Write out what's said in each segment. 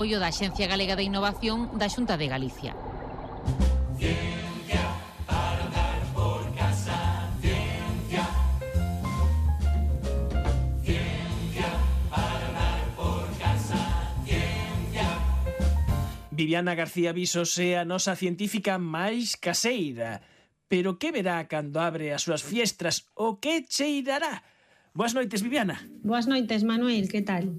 Apoio da Axencia Galega de Innovación da Xunta de Galicia. Ciencia para dar por casa, ciencia. Ciencia para dar por casa, ciencia. Viviana García Visos é a nosa científica máis caseira. Pero que verá cando abre as súas fiestras? O que cheirará? Boas noites, Viviana. Boas noites, Manuel, que tal?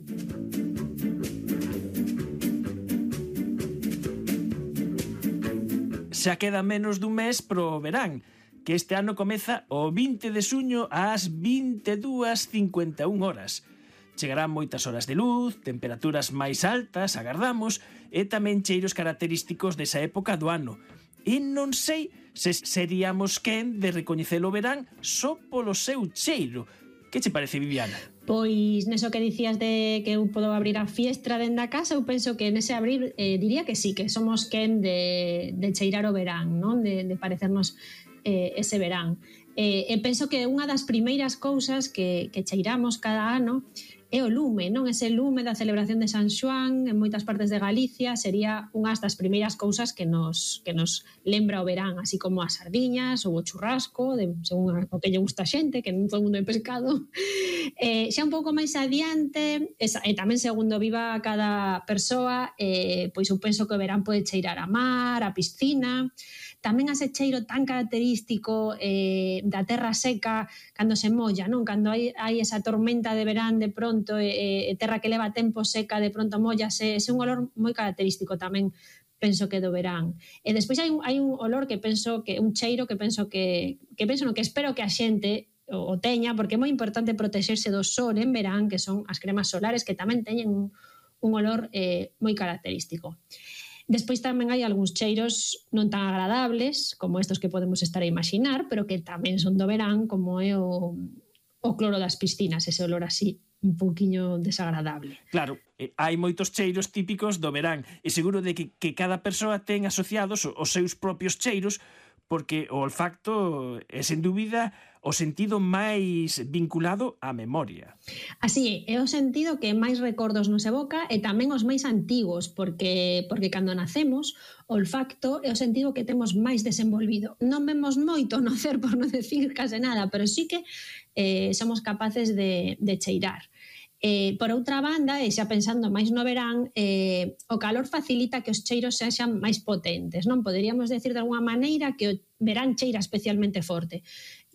Xa queda menos dun mes pro verán, que este ano comeza o 20 de xuño ás 22:51 horas. Chegarán moitas horas de luz, temperaturas máis altas, agardamos, e tamén cheiros característicos desa época do ano. E non sei se seríamos quen de recoñecer o verán só polo seu cheiro. Que che parece, Viviana? Pois neso que dicías de que eu podo abrir a fiestra dentro da casa, eu penso que nese abrir diría que sí, que somos quen de cheirar o verán, non? De parecernos ese verán. E penso que unha das primeiras cousas que cheiramos cada ano é o lume, non? Ese lume da celebración de San Xoán en moitas partes de Galicia sería unha das primeiras cousas que nos lembra o verán, así como as sardiñas ou o churrasco, según o que lle gusta a xente, que non todo o mundo é pescado. Xa un pouco máis adiante, e tamén segundo viva cada persoa, pois eu penso que o verán pode cheirar a mar, a piscina, tamén ese cheiro tan característico da terra seca cando se molla, non? Cando hai esa tormenta de verán de pronto e terra que leva tempo seca de pronto mollase, ese é un olor moi característico tamén, penso que do verán. E despois hai un olor que penso que un cheiro que penso que penso no que espero que a xente o teña, porque é moi importante protexerse do sol en verán, que son as cremas solares que tamén teñen un olor moi característico. Despois tamén hai algúns cheiros non tan agradables como estos que podemos estar a imaginar, pero que tamén son do verán, como é o cloro das piscinas, ese olor así un pouquiño desagradable. Claro, hai moitos cheiros típicos do verán e seguro de que cada persoa ten asociados os seus propios cheiros, porque o olfacto é, sen dúbida, o sentido máis vinculado á memoria. Así é o sentido que máis recordos nos evoca e tamén os máis antigos, porque cando nacemos, o olfacto é o sentido que temos máis desenvolvido. Non vemos moito no cer, por non decir case nada, pero sí que somos capaces de cheirar. Por outra banda, e xa pensando máis no verán, o calor facilita que os cheiros sexan máis potentes, non? Poderíamos decir de alguma maneira que o verán cheira especialmente forte.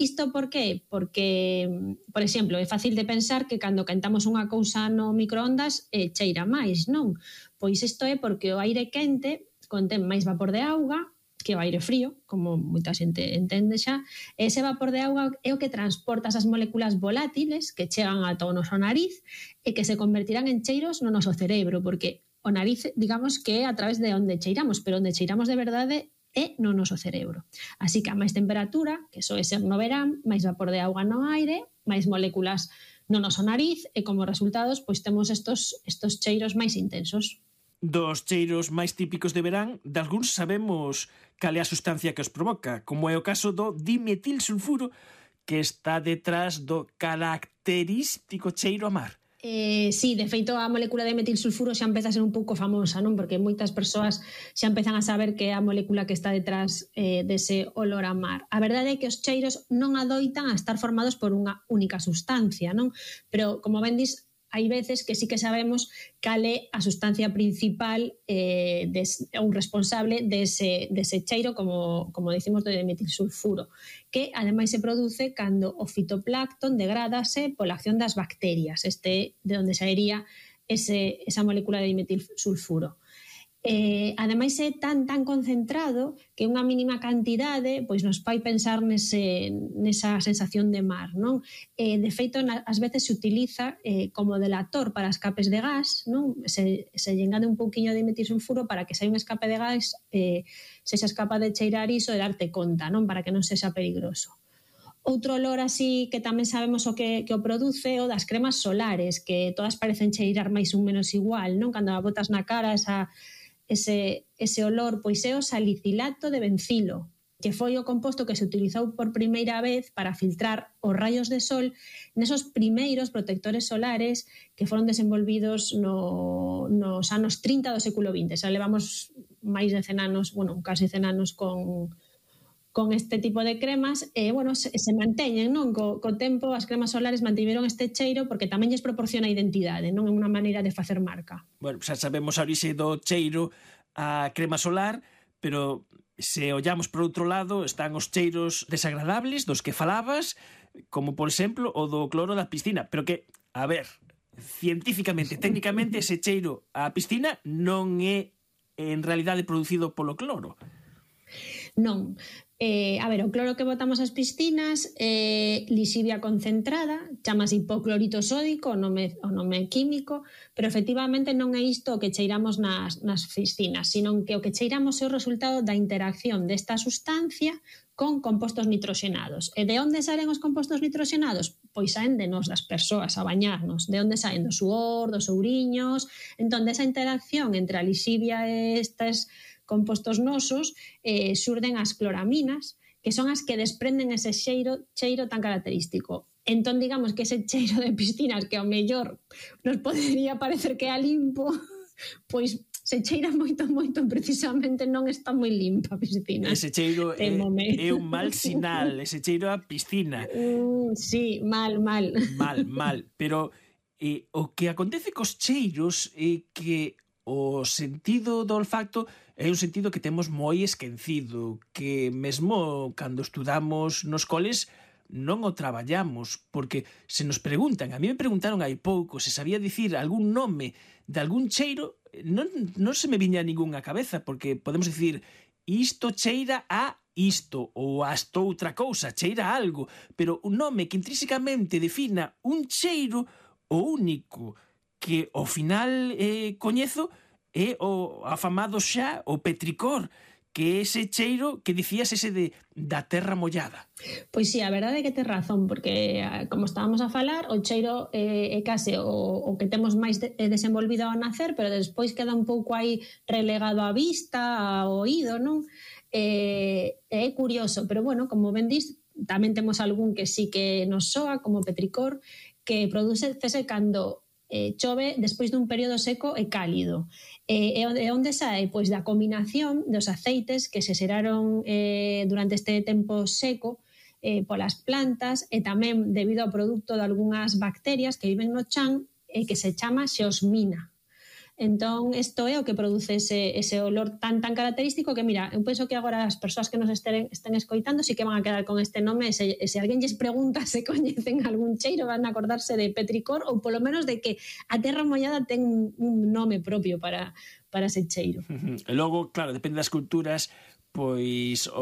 Isto por qué? Porque, por exemplo, é fácil de pensar que cando quentamos unha cousa no microondas cheira máis, non? Pois isto é porque o aire quente contén máis vapor de auga que o aire frío, como moita xente entende xa. Ese vapor de auga é o que transporta esas moléculas volátiles que chegan ata o noso nariz e que se convertirán en cheiros no noso cerebro, porque o nariz, digamos que é a través de onde cheiramos, pero onde cheiramos de verdade é no noso cerebro. Así que a máis temperatura, que soe ser no verán, máis vapor de auga no aire, máis moléculas no noso nariz e como resultados pois temos estos cheiros máis intensos. Dos cheiros máis típicos de verán, de algúns sabemos cal é a sustancia que os provoca, como é o caso do dimetilsulfuro, que está detrás do característico cheiro a mar. Sí, de feito a molécula de metilsulfuro xa empeza a ser un pouco famosa, non? Porque moitas persoas xa empezan a saber que é a molécula que está detrás dese olor a mar. A verdade é que os cheiros non adoitan a estar formados por unha única sustancia, non? Pero, como ben dis, hai veces que sí que sabemos cal é a sustancia principal un responsable dese cheiro, como decimos, do metilsulfuro, que ademais se produce cando o fitoplancton degrádase pola acción das bacterias, de onde saería esa molécula de metilsulfuro. Ademais é tan concentrado que unha mínima cantidade pois nos fai pensar nesa sensación de mar, non? De feito, ás veces se utiliza como delator para escapes de gas, non? Se engade un pouquiño de metilsulfuro para que se hai un escape de gas, se xa escapa de cheirar iso e darte conta, non? Para que non sexa peligroso. Outro olor así que tamén sabemos o que o produce, o das cremas solares, que todas parecen cheirar máis ou menos igual, non? Cando a botas na cara ese olor, pois é o salicilato de bencilo, que foi o composto que se utilizou por primeira vez para filtrar os rayos de sol nesos primeiros protectores solares que foron desenvolvidos nos anos 30 do século XX. Xa levamos máis de 100 anos, bueno, casi 100 anos con este tipo de cremas, bueno, se manteñen, non? Co tempo as cremas solares mantiveron este cheiro porque tamén lles proporciona identidade, non é unha maneira de facer marca. Bueno, xa sabemos a orixe do cheiro a crema solar, pero se ollamos por outro lado están os cheiros desagradables dos que falabas, como por exemplo o do cloro da piscina, pero que, a ver, científicamente, técnicamente ese cheiro á piscina non é en realidade producido polo cloro. Non. A ver, o cloro que botamos ás piscinas é lixivia concentrada, chamase hipoclorito sódico, o nome químico, pero efectivamente non é isto o que cheiramos nas piscinas, sino que o que cheiramos é o resultado da interacción desta sustancia con compostos nitroxenados. E de onde salen os compostos nitroxenados? Pois saen de nós, das persoas, a bañarnos. De onde saen? Do suor, dos ouriños. Entón, desa interacción entre a lixivia e estes compostos nosos surden as cloraminas, que son as que desprenden ese cheiro tan característico. Entón, digamos que ese cheiro de piscinas que ao mellor nos podería parecer que é limpo, pois se cheira moito, precisamente non está moi limpa a piscina. Ese cheiro é un mal sinal, ese cheiro a piscina. Sí, mal. Mal. Pero o que acontece cos cheiros é que o sentido do olfacto é un sentido que temos moi esquecido, que mesmo cando estudamos nos coles non o traballamos, porque se nos preguntan, a mí me preguntaron hai pouco se sabía dicir algún nome de algún cheiro, non se me viña ningunha cabeza, porque podemos dicir isto cheira a isto ou a esta outra cousa, cheira a algo, pero un nome que intrínsecamente defina un cheiro, o único que ao final coñezo é o afamado xa o petricor, que é ese cheiro que dicías ese da terra mollada. Pois sí, a verdade é que tes razón, porque como estábamos a falar, o cheiro é case o que temos máis desenvolvido ao nacer, pero despois queda un pouco aí relegado á vista, ao oído, non? É curioso, pero bueno, como ben dis, tamén temos algún que sí que nos soa, como petricor, que produce cando chove despois dun período seco e cálido. E onde sae? Pois da combinación dos aceites que se xeraron durante este tempo seco polas plantas e tamén debido ao produto de algunhas bacterias que viven no chan e que se chama xeosmina. Entón, isto é o que produce ese olor tan característico que, mira, eu penso que agora as persoas que nos estén escoitando sí que van a quedar con este nome, se alguén lles pregunta se coñecen algún cheiro, van a acordarse de petricor ou polo menos de que a terra mollada ten un nome propio para ese cheiro. E logo, claro, depende das culturas, pois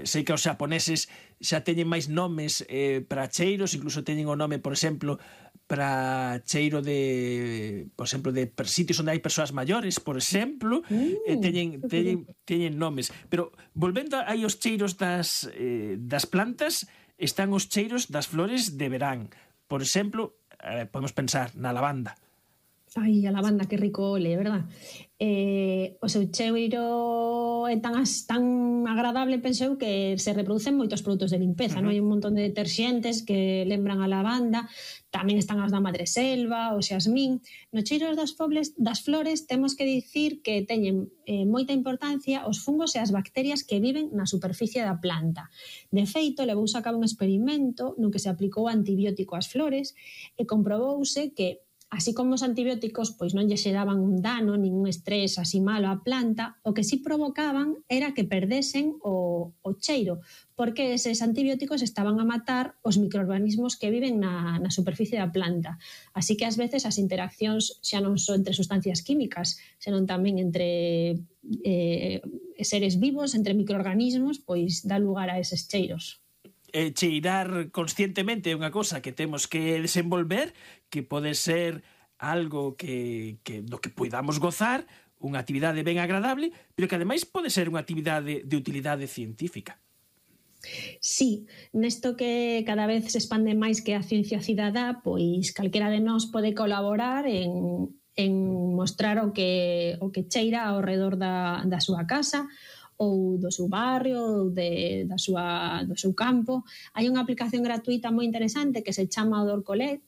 sei que os xaponeses xa teñen máis nomes para cheiros, incluso teñen o nome, por exemplo, para cheiro de sitios onde hai persoas maiores, por exemplo, teñen nomes. Pero volvendo aí aos cheiros das plantas, están os cheiros das flores de verán. Por exemplo, podemos pensar na lavanda. Ai, a lavanda, que rico ole, verdad? O seu cheiro é tan agradable, penso eu, que se reproducen moitos produtos de limpeza, non? Hai un montón de deterxentes que lembran a lavanda, tamén están as da madreselva, o xasmín. No cheiro das flores temos que dicir que teñen moita importancia os fungos e as bacterias que viven na superficie da planta. De feito, levouse a cabo un experimento no que se aplicou antibiótico ás flores e comprobouse que así como os antibióticos pois non lle xeraban un dano, ningún estrés así malo á planta, o que sí provocaban era que perdesen o cheiro, porque eses antibióticos estaban a matar os microorganismos que viven na superficie da planta. Así que ás veces as interaccións xa non son entre sustancias químicas, senón tamén entre seres vivos, entre microorganismos, pois dá lugar a eses cheiros. Cheirar conscientemente é unha cosa que temos que desenvolver, que pode ser algo do que poidamos gozar, unha actividade ben agradable, pero que ademais pode ser unha actividade de utilidade científica. Sí, nesto que cada vez se expande máis que a ciencia cidadá, pois calquera de nós pode colaborar en mostrar o que cheira ao redor da súa casa, ou do seu barrio ou do seu campo. Hai unha aplicación gratuita moi interesante que se chama Odor Collect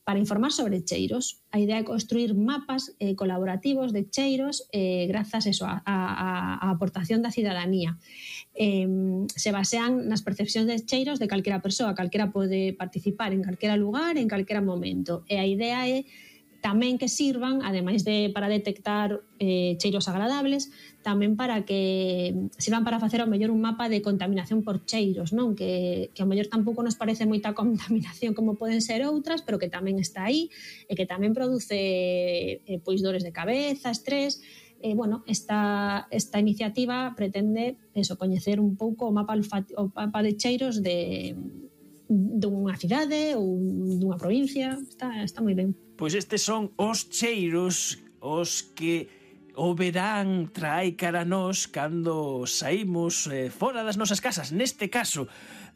para informar sobre cheiros. A idea é construir mapas colaborativos de cheiros grazas á aportación da cidadanía. Se basean nas percepcións de cheiros de calquera persoa, calquera pode participar en calquera lugar, en calquera momento. E a idea é tamén que sirvan, ademais de para detectar cheiros agradables, tamén para que sirvan para facer ao mellor un mapa de contaminación por cheiros, non? Que ao mellor tampouco nos parece moita contaminación como poden ser outras, pero que tamén está aí e que tamén produce pois dores de cabeza, estrés. Bueno, esta iniciativa pretende coñecer un pouco o mapa de cheiros dunha cidade ou dunha provincia. Está moi ben. Pois estes son os cheiros os que o verán trae cara a nós cando saímos fora das nosas casas. Neste caso,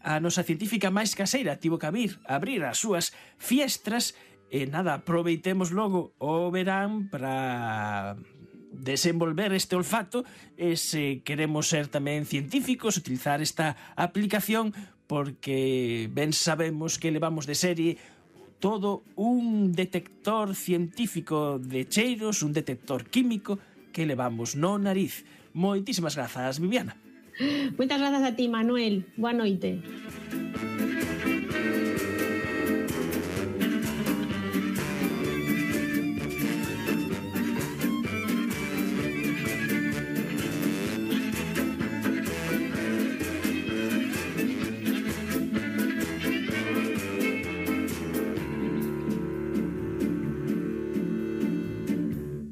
a nosa científica máis caseira tivo que abrir as súas fiestras e nada, aproveitemos logo o verán para desenvolver este olfato e se queremos ser tamén científicos, utilizar esta aplicación, porque ben sabemos que levamos de serie todo un detector científico de cheiros, un detector químico que levamos no nariz. Moitísimas grazas, Viviana. Moitas grazas a ti, Manuel. Boa noite.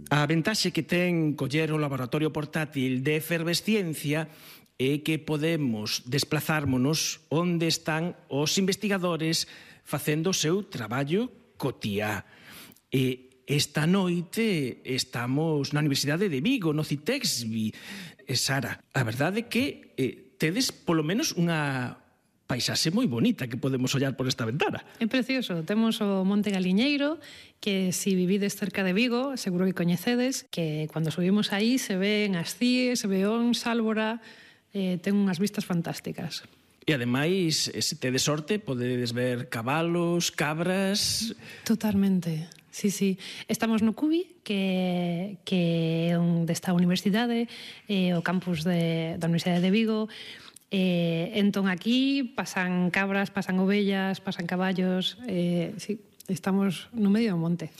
A ventaxe que ten coller o laboratorio portátil de efervesciencia é que podemos desplazármonos onde están os investigadores facendo o seu traballo cotiá. E esta noite estamos na Universidade de Vigo, no CITEXBI. Sara, a verdade é que tedes polo menos unha paisaxe moi bonita que podemos ollar por esta ventana. É precioso. Temos o Monte Galiñeiro, que se vivides cerca de Vigo, seguro que coñecedes, que cando subimos aí se ven as cíes, se ve Sálvora, ten unhas vistas fantásticas. E ademais, se tedes sorte, podedes ver cabalos, cabras... Totalmente. Sí, sí. Estamos no CUBI, que é onde está a universidade, o campus da Universidade de Vigo. Entón aquí pasan cabras, pasan ovellas, pasan caballos. Sí, estamos no medio do monte.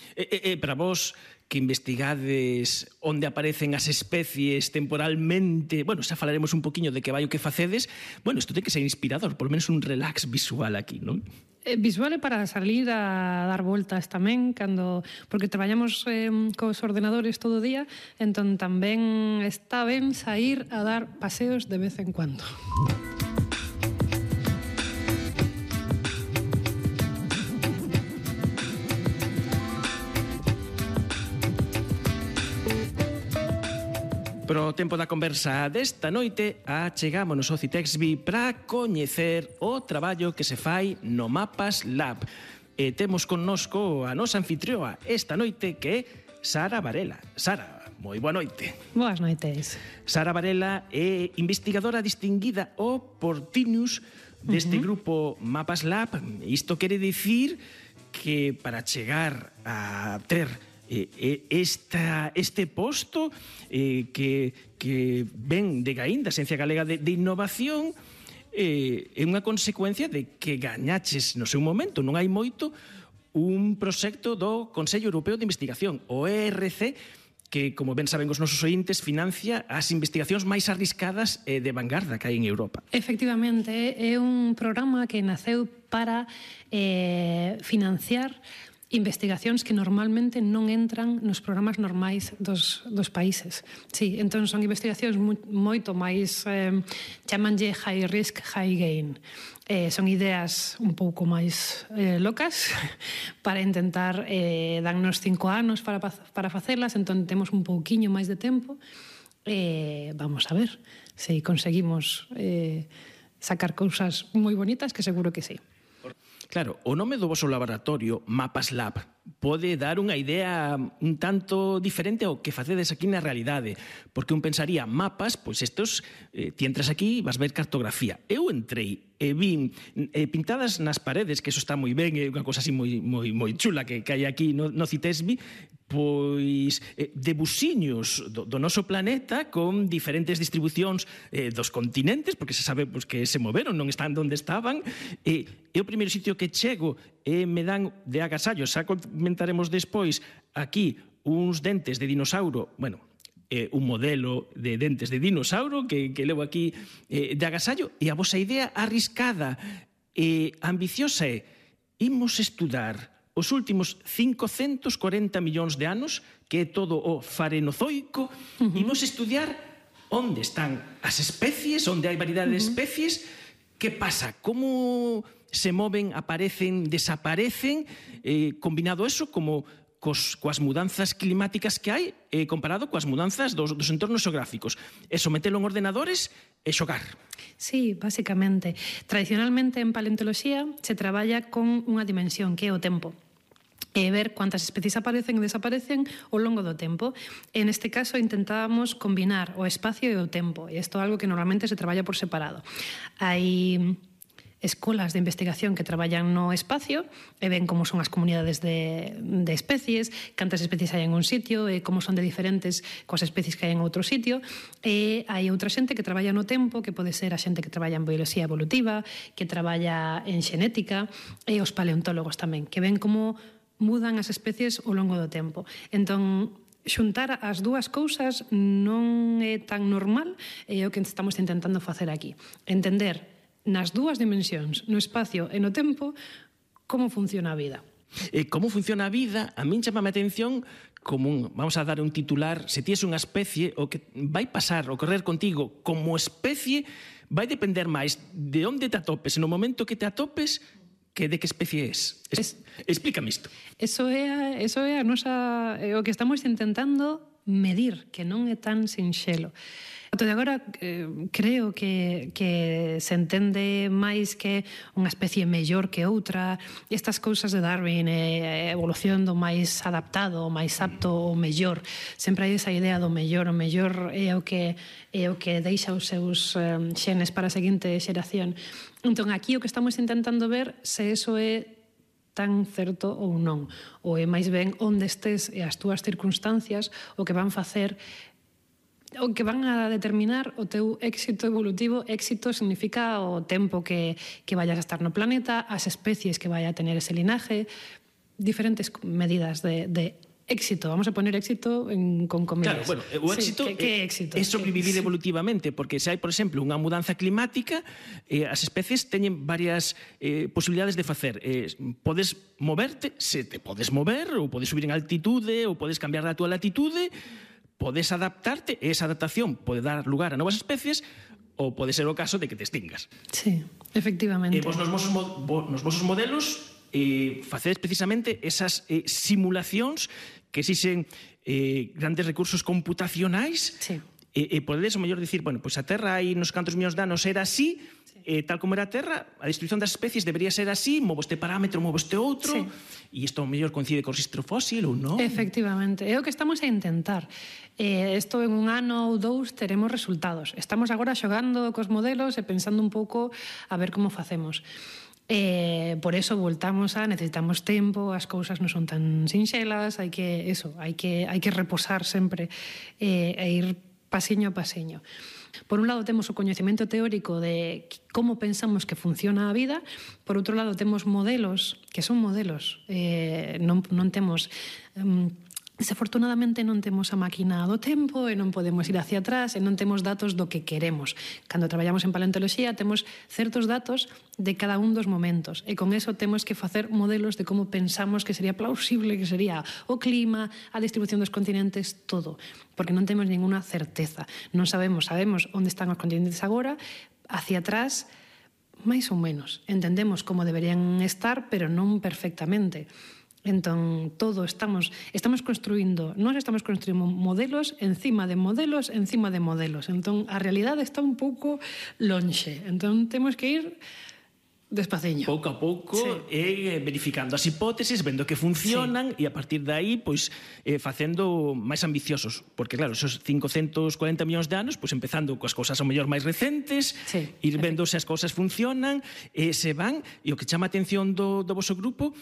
Para vos que investigades onde aparecen as especies temporalmente, bueno, xa falaremos un poquinho de que vai o que facedes, bueno, isto ten que ser inspirador, por lo menos un relax visual aquí, non? Visual é para salir a dar voltas tamén, porque traballamos cos ordenadores todo o día, entón tamén está ben sair a dar paseos de vez en cuando. Pro tempo da conversa desta noite, achegámonos ao CITEXBI para coñecer o traballo que se fai no Mapas Lab. E temos connosco a nosa anfitrioa esta noite, que é Sara Varela. Sara, moi boa noite. Boas noites. Sara Varela é investigadora distinguida o Portinius deste grupo Mapas Lab. Isto quere dicir que para chegar a ter este posto que ven de Gaín, da Xencia Galega de Innovación, é unha consecuencia de que gañaches no seu momento, non hai moito, un proxecto do Consello Europeo de Investigación, o ERC, que, como ben saben os nosos ointes, financia as investigacións máis arriscadas e de vanguarda que hai en Europa. Efectivamente, é un programa que naceu para financiar investigacións que normalmente non entran nos programas normais dos países. Sí, entón son investigacións moito máis, chamanlle high risk, high gain. Son ideas un pouco máis locas para intentar darnos 5 anos para facelas, entón temos un pouquiño máis de tempo. Vamos a ver se conseguimos sacar cousas moi bonitas, que seguro que sí. Claro, o nome do voso laboratorio, Mapas Lab, pode dar unha idea un tanto diferente ao que facedes aquí na realidade, porque un pensaría mapas, pois estos, ti entras aquí e vas ver cartografía. Eu entrei e vin pintadas nas paredes, que eso está moi ben, é unha cosa así moi chula que hai aquí no Citesbi, pois debuxiños do noso planeta con diferentes distribucións dos continentes, porque se sabe pois, que se moveron, non están onde estaban, e o primeiro sitio que chego me dan de agasallo, xa comentaremos despois aquí uns dentes de dinossauro, bueno, un modelo de dentes de dinossauro que levo aquí de agasallo, e a vosa idea arriscada e ambiciosa é imos estudar os últimos 540 millóns de anos, que é todo o farenozoico, imos estudiar onde están as especies, onde hai variedade de especies, que pasa, como se moven, aparecen, desaparecen, combinado eso como coas mudanzas climáticas que hai comparado coas mudanzas dos entornos xeográficos. E sometelo en ordenadores e xogar. Sí, básicamente. Tradicionalmente en paleontoloxía se traballa con unha dimensión que é o tempo. E ver cuántas especies aparecen e desaparecen ao longo do tempo. En este caso intentábamos combinar o espacio e o tempo. E isto é algo que normalmente se traballa por separado. Hai escolas de investigación que traballan no espacio e ven como son as comunidades de especies, cantas especies hai en un sitio e como son de diferentes coas especies que hai en outro sitio. E hai outra xente que traballa no tempo, que pode ser a xente que traballa en bioloxía evolutiva, que traballa en xenética, e os paleontólogos tamén, que ven como mudan as especies ao longo do tempo. Entón, xuntar as dúas cousas non é tan normal, e é o que estamos intentando facer aquí. Entender nas dúas dimensións, no espacio e no tempo, como funciona a vida. Como funciona a vida, a min chama a atención como vamos a dar un titular, se ti es unha especie, o que vai pasar, ocorrer contigo como especie, vai depender máis de onde te atopes, no momento que te atopes, que de que especie es. Explícame isto. Eso é a nosa, o que estamos intentando medir, que non é tan sinxelo. Ata de agora creo que se entende máis que unha especie mellor que outra. Estas cousas de Darwin, a evolución do máis adaptado, o máis apto, o mellor. Sempre hai esa idea do mellor. O mellor é o que deixa os seus xenes para a seguinte xeración. Entón, aquí o que estamos intentando ver se eso é tan certo ou non. Ou é máis ben onde estés e as túas circunstancias o que van facer, o que van a determinar o teu éxito evolutivo. Éxito significa o tempo que vayas a estar no planeta, as especies que vai a tener ese linaje, diferentes medidas de éxito. Vamos a poner éxito con comillas. Claro, bueno, o éxito, sí, que éxito é sobrevivir evolutivamente, porque se hai, por exemplo, unha mudanza climática, as especies teñen varias posibilidades de facer. Podes moverte, se te podes mover, ou podes subir en altitude, ou podes cambiar a túa latitude, podes adaptarte, e esa adaptación pode dar lugar a novas especies, ou pode ser o caso de que te extingas. Sí, efectivamente. E vos nos vosos modelos facedes precisamente esas simulacións que exixen grandes recursos computacionais. Sí. E podedes o mellor dicir, bueno, pois a Terra hai nos cantos millóns de anos era así, tal como era a Terra, a distribución das especies debería ser así, movo este parámetro, movo este outro, e isto o mellor coincide co rexistro fósil ou non? Efectivamente, é o que estamos a intentar. Isto en un ano ou dous teremos resultados. Estamos agora xogando cos modelos e pensando un pouco a ver como facemos. Por eso voltamos a necesitamos tempo, as cousas non son tan sinxelas, hai que reposar sempre e ir pasiño a pasiño. Por un lado temos o coñecemento teórico de como pensamos que funciona a vida, por outro lado temos modelos, que son modelos, non temos... Desafortunadamente non temos a máquina do tempo e non podemos ir hacia atrás e non temos datos do que queremos. Cando traballamos en paleontoloxía temos certos datos de cada un dos momentos e con eso temos que facer modelos de como pensamos que sería plausible, que sería o clima, a distribución dos continentes, todo. Porque non temos ninguna certeza. Non sabemos onde están os continentes agora, hacia atrás, máis ou menos. Entendemos como deberían estar, pero non perfectamente. Entón, todo estamos construindo, nós estamos construindo modelos encima de modelos, encima de modelos. Entón, a realidade está un pouco lonxe. Entón, temos que ir Despaciño. Pouco a pouco, sí. Verificando as hipótesis, vendo que funcionan, e a partir de aí, pois, facendo máis ambiciosos. Porque, claro, esos 540 millóns de anos, pois, empezando coas cousas ao mellor máis recentes, sí, ir vendo se as cousas funcionan, se van, e o que chama a atención do vosso grupo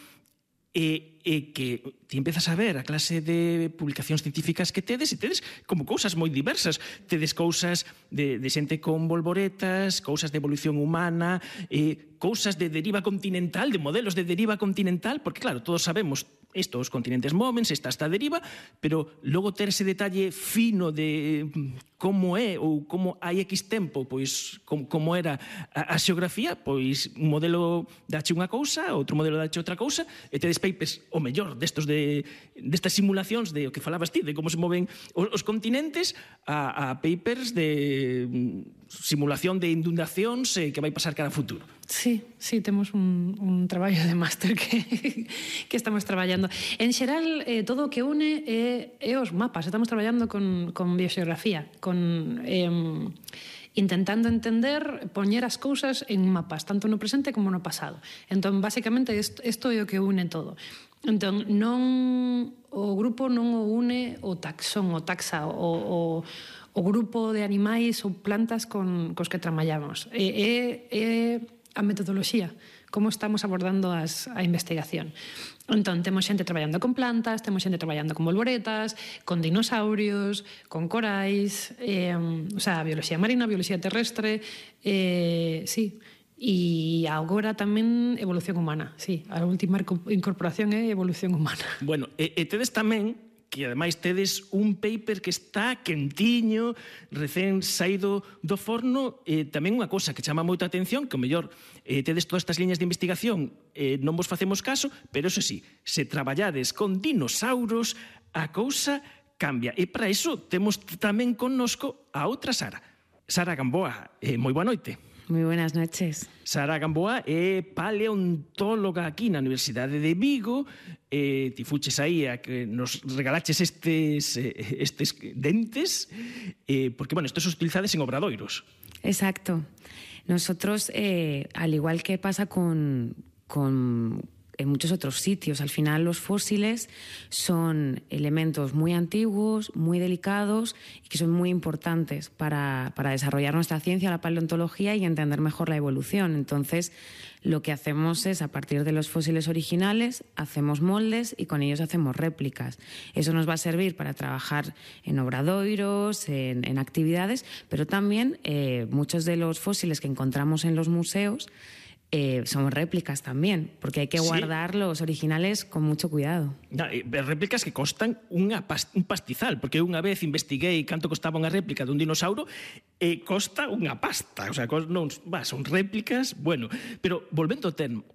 é que ti empezas a ver a clase de publicacións científicas que tedes, e tedes como cousas moi diversas. Tedes cousas de xente con bolboretas, cousas de evolución humana, cousas de deriva continental, de modelos de deriva continental, porque claro, todos sabemos isto, os continentes móvense, esta deriva, pero logo ter ese detalle fino de como é ou como hai X tempo, pois como era a xeografía, pois un modelo dache unha cousa, outro modelo dache outra cousa, e tedes papers o mellor destas simulacións de o que falabas ti, de como se moven os continentes, a papers de simulación de inundacións que vai pasar cara a futuro. Sí, temos un traballo de máster que estamos traballando. En xeral, todo o que une é os mapas. Estamos traballando con bioxeografía, intentando entender, poñer as cousas en mapas, tanto no presente como no pasado. Entón, basicamente, isto é o que une todo. Entón, o grupo non o une o taxón, o taxa, o grupo de animais ou plantas cos que traballamos. É a metodoloxía, como estamos abordando a investigación. Entón, temos xente traballando con plantas, temos xente traballando con bolboretas, con dinosaurios, con corais, bioloxía marina, bioloxía terrestre, sí. E agora tamén evolución humana, sí. A última incorporación é evolución humana. Bueno, e tedes tamén que ademais tedes un paper que está quentiño, recén saído do forno, tamén unha cousa que chama moita atención, que o mellor tedes todas estas liñas de investigación, non vos facemos caso, pero eso sí, se traballades con dinosauros, a cousa cambia. E para iso temos tamén connosco a outra Sara. Sara Gamboa, moi boa noite. Moi buenas noches. Sara Gamboa é paleontóloga aquí na Universidade de Vigo. Ti fuches aí a que nos regalaches estes dentes, porque, bueno, estos son utilizados en obradoiros. Exacto. Nosotros, al igual que pasa con en muchos otros sitios, al final los fósiles son elementos muy antiguos, muy delicados y que son muy importantes para desarrollar nuestra ciencia, la paleontología, y entender mejor la evolución. Entonces, lo que hacemos es, a partir de los fósiles originales, hacemos moldes y con ellos hacemos réplicas. Eso nos va a servir para trabajar en obradoiros, en actividades, pero también muchos de los fósiles que encontramos en los museos son réplicas también, porque hay que guardar los originales con mucho cuidado. Réplicas que costan un pastizal, porque unha vez investiguei canto costaba unha réplica dun dinosauro e costa unha pasta, o sea, son réplicas, bueno, pero volvendo ao termo,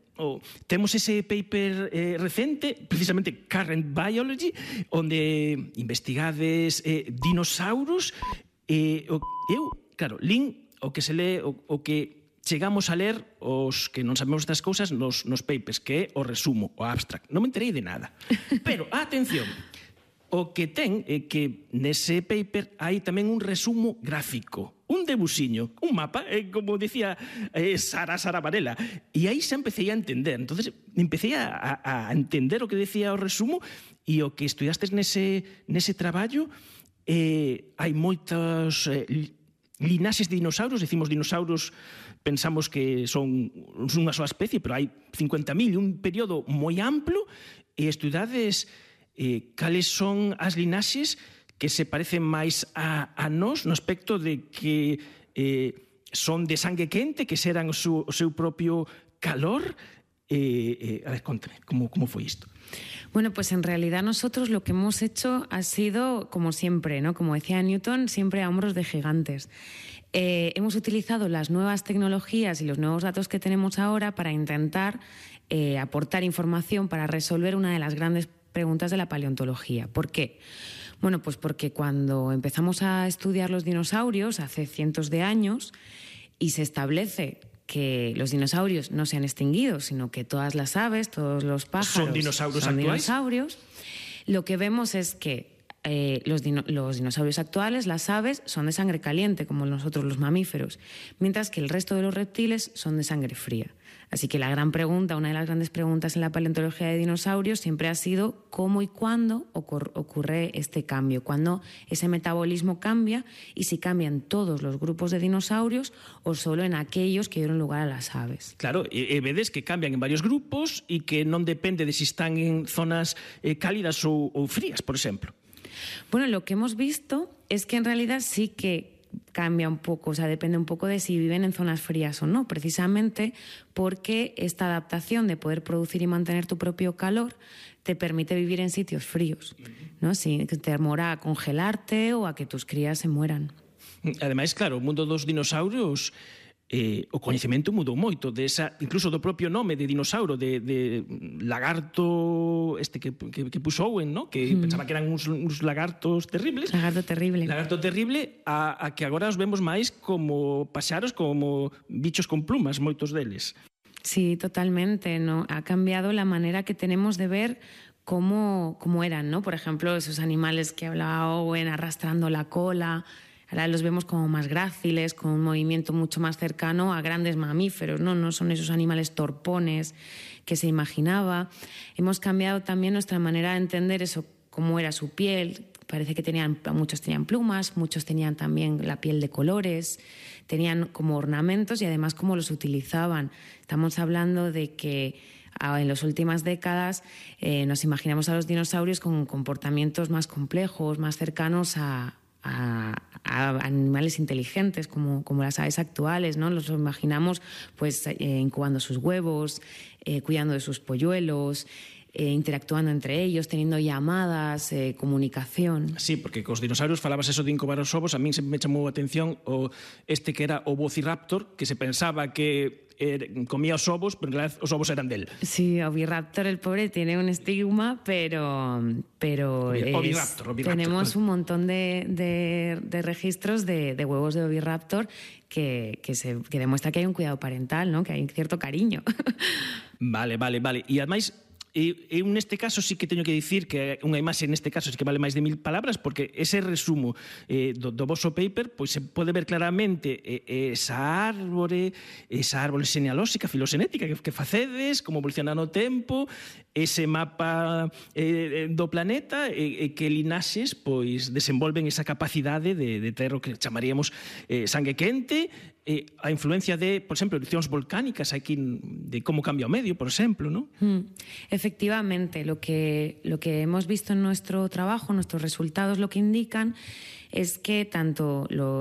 temos ese paper recente, precisamente Current Biology, onde investigades dinosauros, lin o que se lee, o que chegamos a ler os que non sabemos estas cousas nos papers, que é o resumo, o abstract. Non me enterei de nada. Pero, atención, o que ten é que nese paper hai tamén un resumo gráfico, un debuxiño, un mapa, como decía Sara Varela. E aí xa empecé a entender. Entonces, empecé a entender o que decía o resumo, e o que estudiastes nese traballo, hai moitas linaxes de dinosaurios, decimos dinosaurios, pensamos que son unha soa especie, pero hai 50.000, un período moi amplo, e estudades cales son as linaxes que se parecen máis a nós no aspecto de que son de sangue quente, que xeran o seu propio calor. A ver, contame, como foi isto? Bueno, pues en realidad nosotros lo que hemos hecho ha sido, como siempre, ¿no? Como decía Newton, siempre a hombros de gigantes. Hemos utilizado las nuevas tecnologías y los nuevos datos que tenemos ahora para intentar aportar información para resolver una de las grandes preguntas de la paleontología. ¿Por qué? Bueno, pues porque cuando empezamos a estudiar los dinosaurios hace cientos de años y se establece que los dinosaurios no se han extinguido, sino que todas las aves, todos los pájaros son dinosaurios actuais. Lo que vemos es que los dinosaurios actuales, las aves, son de sangre caliente, como nosotros los mamíferos, mientras que el resto de los reptiles son de sangre fría. Así que la gran pregunta, una de las grandes preguntas en la paleontología de dinosaurios siempre ha sido cómo y cuándo ocurre este cambio, cuándo ese metabolismo cambia y si cambian todos los grupos de dinosaurios o solo en aquellos que dieron lugar a las aves. Claro, vedes que cambian en varios grupos e que non depende de si están en zonas cálidas ou frías, por exemplo. Bueno, lo que hemos visto es que en realidad sí que cambia un poco, o sea, depende un poco de si viven en zonas frías o no, precisamente porque esta adaptación de poder producir y mantener tu propio calor te permite vivir en sitios fríos, ¿no? Sin temor a congelarte o a que tus crías se mueran. Ademais, claro, o mundo dos dinosaurios, o coñecemento mudou moito, incluso do propio nome de dinosauro, de lagarto que puxo Owen, ¿no? Que pensaba que eran uns lagartos terribles. Lagarto terrible. Lagarto terrible, a que agora os vemos máis como paxaros, como bichos con plumas, moitos deles. Sí, totalmente, ¿no? Ha cambiado la manera que tenemos de ver cómo eran, ¿no? Por ejemplo, esos animales que hablaba Owen arrastrando la cola. Ahora los vemos como más gráciles, con un movimiento mucho más cercano a grandes mamíferos, ¿no? No son esos animales torpones que se imaginaba. Hemos cambiado también nuestra manera de entender eso, cómo era su piel. Parece que muchos tenían plumas, muchos tenían también la piel de colores, tenían como ornamentos y además cómo los utilizaban. Estamos hablando de que en las últimas décadas nos imaginamos a los dinosaurios con comportamientos más complejos, más cercanos a animales inteligentes como las aves actuales, ¿no? Los imaginamos pues incubando sus huevos, cuidando de sus polluelos, interactuando entre ellos, teniendo llamadas, comunicación. Sí, porque cos dinosaurios falabas eso de incubar os ovos, a min sempre me chamou a atención que era o Velociraptor, que se pensaba que comía os ovos, pero en realidad os ovos eran del. Sí, Oviraptor, el pobre, tiene un estigma, pero Oviraptor. Tenemos un montón de registros de huevos de Oviraptor que demuestra que hay un cuidado parental, ¿no? Que hay un cierto cariño. Vale. E ademais, eu neste caso sí que teño que dicir que unha imaxe neste caso sí que vale máis de 1000 palabras, porque ese resumo do vosso paper pois se pode ver claramente esa árbore xenealóxica, filoxenética que facedes, como evoluciona no tempo, ese mapa do planeta e que linaxes pois desenvolven esa capacidade de ter o que chamaríamos sangue quente, a influencia de, por exemplo, erupcións volcánicas aquí, de como cambia o medio, por exemplo, ¿no? Efectivamente, lo que hemos visto en nuestro trabajo, nuestros resultados lo que indican es que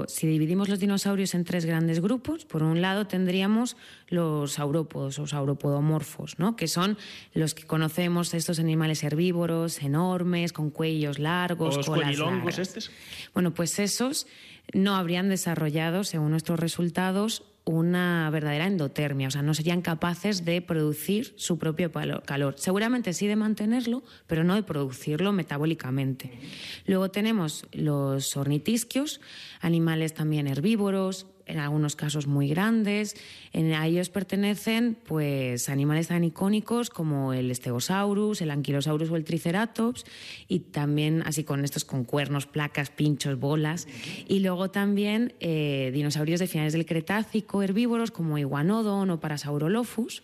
si dividimos los dinosaurios en 3 grandes grupos, por un lado tendríamos los saurópodos o sauropodomorfos, ¿no? Que son los que conocemos, estos animales herbívoros, enormes, con cuellos largos, colas largas. Estes. Bueno, pues esos no habrían desarrollado, según nuestros resultados, una verdadera endotermia, o sea, no serían capaces de producir su propio calor. Seguramente sí de mantenerlo, pero no de producirlo metabólicamente. Luego tenemos los ornitisquios, animales también herbívoros, en algunos casos muy grandes. A ellos pertenecen pues animales tan icónicos como el Stegosaurus, el Ankylosaurus o el Triceratops, y también así con cuernos, placas, pinchos, bolas. Y luego también dinosaurios de finales del Cretácico, herbívoros como Iguanodon o Parasaurolophus.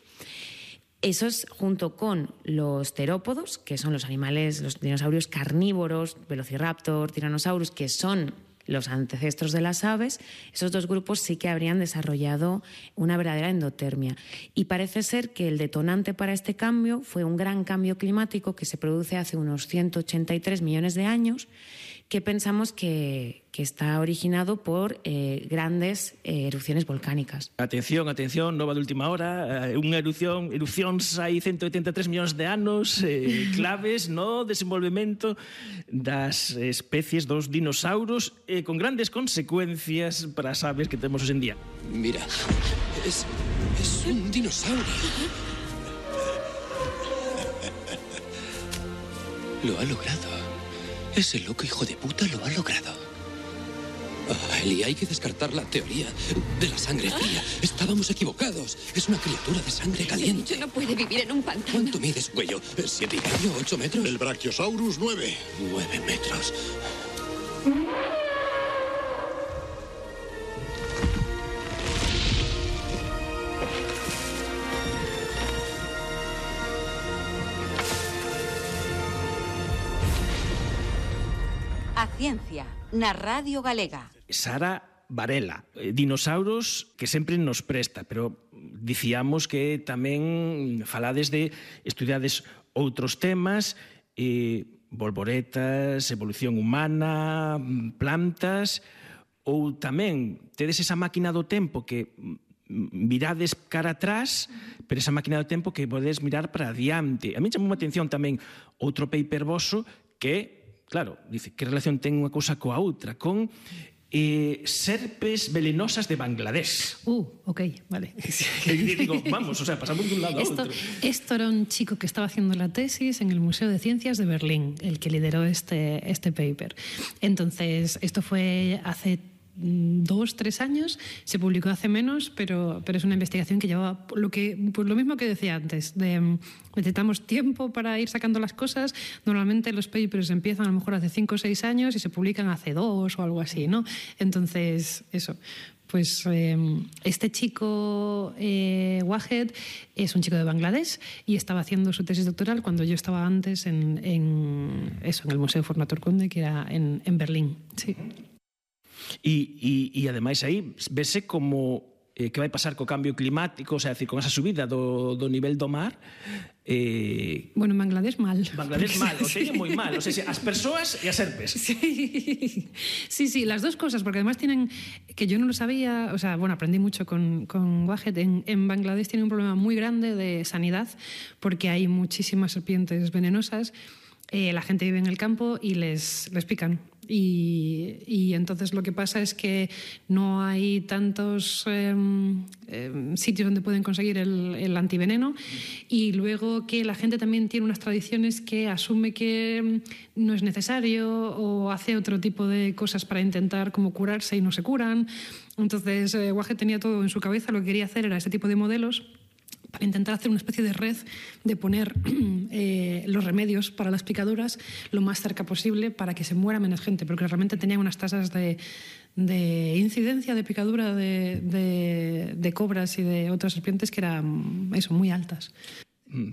Esos, junto con los terópodos, que son los dinosaurios carnívoros, Velociraptor, Tyrannosaurus, que son los ancestros de las aves, esos 2 grupos sí que habrían desarrollado una verdadera endotermia. Y parece ser que el detonante para este cambio fue un gran cambio climático que se produce hace unos 183 millones de años, que pensamos que está originado por grandes erupciones volcánicas. Atención, nova de última hora, erupcións hai 183 millóns de anos, claves no desenvolvemento das especies dos dinosauros, con grandes consecuencias para as aves que temos hoxe en día. Mira, es un dinosaurio. Lo ha logrado. Ese loco hijo de puta lo ha logrado. Eli, hay que descartar la teoría de la sangre fría. Estábamos equivocados. Es una criatura de sangre caliente. Yo no puede vivir en un pantano. ¿Cuánto mides, Güello? ¿7,5, 8 metros? El Brachiosaurus 9. 9 metros. A ciencia, na Radio Galega. Sara Varela, dinosauros que sempre nos presta, pero dicíamos que tamén falades de estudiades outros temas, volvoretas, evolución humana, plantas, ou tamén tedes esa máquina do tempo que mirades cara atrás, pero esa máquina do tempo que podes mirar para adiante. A mí chamou a atención tamén outro paper voso que, claro, dice, que relación ten unha cousa coa outra, con serpes velenosas de Bangladesh. Ok, vale. Digo, vamos, o sea, pasamos de un lado a otro. Esto era un chico que estaba haciendo la tesis en el Museo de Ciencias de Berlín, el que lideró este paper. Entonces, esto fue hace 2-3 años, se publicó hace menos, pero es una investigación que llevaba lo mismo que decía antes, necesitamos tiempo para ir sacando las cosas. Normalmente los papers empiezan a lo mejor hace 5 o 6 años y se publican hace 2 o algo así, ¿no? Entonces, eso. Pues este chico, Wahed, es un chico de Bangladesh y estaba haciendo su tesis doctoral cuando yo estaba antes en el Museo Fornator Conde, que era en Berlín. Sí. E ademais aí vese como que vai pasar co cambio climático, o sea, decir, con esa subida do nivel do mar. Bueno, en Bangladesh mal. Bangladesh mal, o sea, moi mal. O sea, as persoas e as serpes. Sí, las dos cosas, porque además tienen, que yo no lo sabía, o sea, bueno, aprendí mucho con Wahed. En Bangladesh tiene un problema muy grande de sanidad, porque hay muchísimas serpientes venenosas. La gente vive en el campo y les pican. Y entonces lo que pasa es que no hay tantos sitios donde pueden conseguir el antiveneno, y luego que la gente también tiene unas tradiciones que asume que no es necesario o hace otro tipo de cosas para intentar como curarse y no se curan. Entonces Wahed tenía todo en su cabeza, lo que quería hacer era ese tipo de modelos para intentar hacer una especie de red de poner los remedios para las picaduras lo más cerca posible para que se muera menos gente, porque realmente tenían unas tasas de incidencia de picadura de cobras y de otras serpientes que eran muy altas.